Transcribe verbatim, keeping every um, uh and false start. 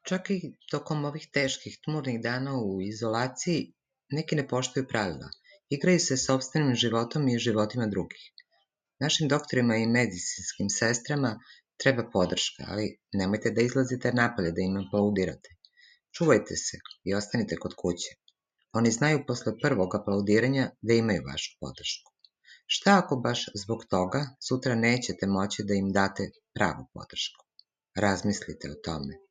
Čak i tokom ovih teških tmurnih dana u izolaciji, neki ne poštuju pravila. Igraju se sopstvenim životom i životima drugih. Našim doktorima i medicinskim sestrama treba podrška, ali nemojte da izlazite napolje da im aplaudirate. Čuvajte se i ostanite kod kuće. Oni znaju posle prvog aplaudiranja da imaju vašu podršku. Šta ako baš zbog toga sutra nećete moći da im date pravu podršku? Razmislite o tome.